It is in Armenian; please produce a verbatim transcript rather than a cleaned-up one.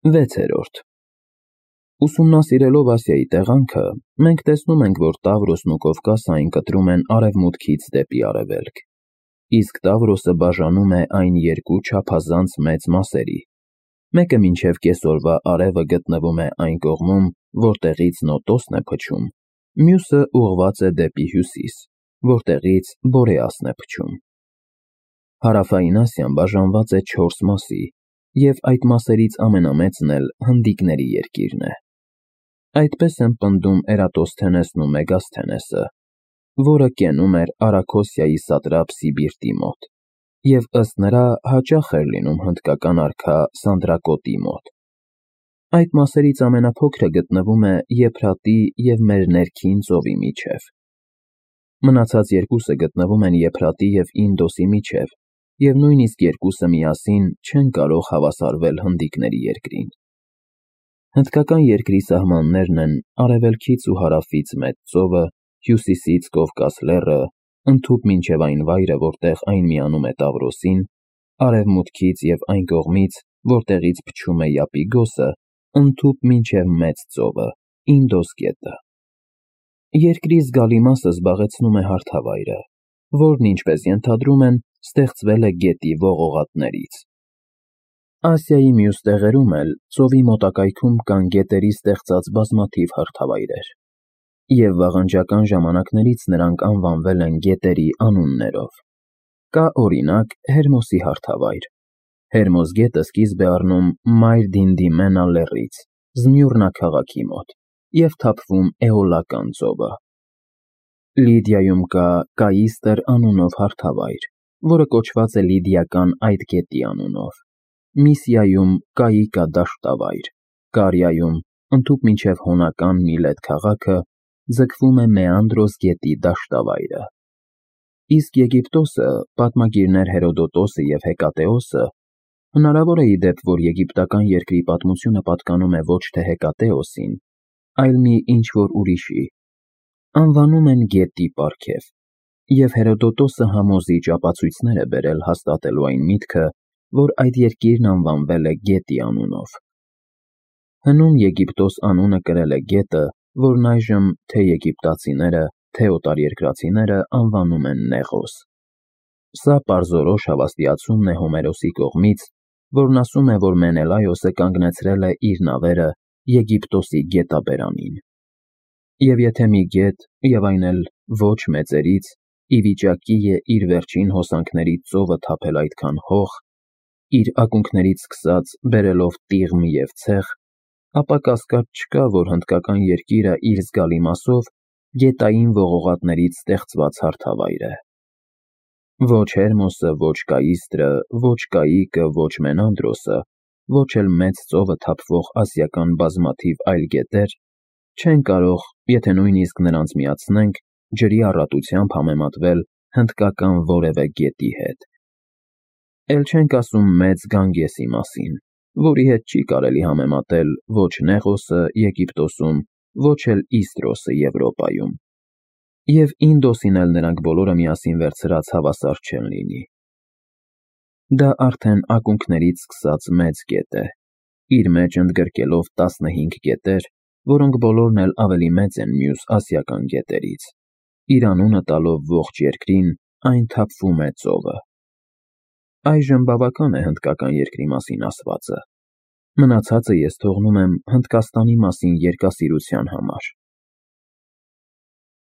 վեցերորդ Ուսումնասիրելով Ասիայի տեղանքը, մենք տեսնում ենք, որ Տավրոսն ու Կովկասը այն կտրում են արևմուտքից դեպի արևելք, իսկ Տավրոսը բաժանում է այն երկու չափազանց մեծ մասերի, մեկը մինչև կեսօրվա արևը գտնվում է այն կողմում, որտեղից Նոտոսն է փչում, մյուսը ուղղված է դեպի հյուսիս, որտեղից Բորեասն է փչում։ Հարավային Ասիան բաժանված է չորս մասի, և այդ մասերից ամենամեծն էլ Հնդիկների երկիրն է։ Այդպես են պնդում Էրատոսթենեսն ու Մեգասթենեսը, որը կենում էր Արաքոսիայի սատրապ Սիբիրտի մոտ, և ըստ նրա հաճախ էր լինում հնդկական արքա Սանդրակոտի մոտ։ Այդ մասերից ամենափոքրը գտնվում է Եփրատի և մեր ներքին ծովի միջև։ Մնացած երկուսը գտնվում են Եփրատի և Ինդոսի միջև, և նույնիսկ երկուսը միասին չեն կարող հավասարվել Հնդիկների երկրին։ Հնդկական երկրի սահմաններն են արևելքից ու հարավից Մեծ ծովը, հյուսիսից Կովկաս լեռը, ընդհուպ մինչև այն վայրը, որտեղ այն միանում է Տավրոսին, արևմուտքից և այն կողմից, որտեղից փչում է Յապիգոսը, ընդհուպ մինչև Մեծ ծովը, Ինդոս գետը։ Երկրի զգալի մասը զբաղեցնում է հարթավայրը, որն, ինչպես ենթադրում են, ստեղծվել է գետի ողողատներից։ Ասիայի մյուս տեղերում էլ ծովի մոտակայքում կան գետերի ստեղծած բազմաթիվ հարթավայրեր, և վաղնջական ժամանակներից նրանք անվանվել են գետերի անուններով։ Կա, օրինակ, Հերմոսի հարթավայր։ Հերմոս գետը սկիզբ է առնում Մայր-Դինդիմենա լեռից, Զմյուռնա քաղաքի մոտ, և թափվում Էոլական ծովը։ Լիդիայում կա Կաիստր անունով հարթավայր, որը կոչված է լիդիական այդ գետի անունով, Միսիայում Կաիկա դաշտավայր, Կարիայում, ընդհուպ մինչև հոնական Միլետ քաղաքը, ձգվում է Մեանդրոս գետի դաշտավայրը։ Իսկ Եգիպտոսը, պատմագիրներ Հերոդոտոսը և Հեկատեոսը, հնարավոր է ի դեպ, որ եգիպտական երկրի պատմությունը պատկանում է ոչ թե Հեկատեոսին, այլ մի ինչ-որ ուրիշի, անվանում են գետի պարգև, և Հերոդոտոսը համոզիչ ապացույցներ է բերել հաստատելու այն միտքը, որ այդ երկիրն անվանվել է գետի անունով։ Հնում Եգիպտոս անունը կրել է գետը, որն այժմ թե՛ եգիպտացիները, թե՛ օտարերկրացիները անվանում են Նեղոս։ Սա պարզորոշ հավաստիացումն է Հոմերոսի կողմից, որն ասում է, որ Մենելայոսը կանգնեցրել է իր նավերը Եգիպտոսի գետաբերանին։ Եվ եթե մի գետ, և այն էլ ոչ մեծերից, ի վիճակի է իր վերջին հոսանքներից ծովը թափել այդքան հող, իր ակունքներից սկսած բերելով տիղմ և ցեխ, ապա կասկած չկա, որ հնդկական երկիրը իր զգալի մասով գետային ողողատներից ստեղծված հարթավայր է։ Ոչ Հերմոսը, ոչ Կաիստրը, ոչ Կաիկը, ոչ Մենանդրոսը, ոչ էլ Մեծ ծովը թափվող ասիական բազմաթիվ այլ գետեր չեն կարող, եթե նույնիսկ նրանց միացնենք, ջրի առատությամբ համեմատվել հնդկական որևէ գետի հետ։ Էլ չենք ասում Մեծ Գանգեսի մասին, որի հետ չի կարելի համեմատել ոչ Նեղոսը Եգիպտոսում, ոչ էլ Իստրոսը Եվրոպայում։ Եվ Ինդոսին էլ նրանք բոլորը միասին վերցրած հավասար չեն լինի։ Դա արդեն ակունքներից սկսած մեծ գետ է, իր մեջ ընդգրկելով տասնհինգ գետեր, որոնք բոլորն էլ ավելի մեծ են մյուս ասիական գետերից։ Իր անունը տալով ողջ երկրին, այն թափվում է ծովը։ Այժմ բավական է հնդկական երկրի մասին ասվածը։ Մնացածը ես թողնում եմ Հնդկաստանի մասին երգասիրության համար։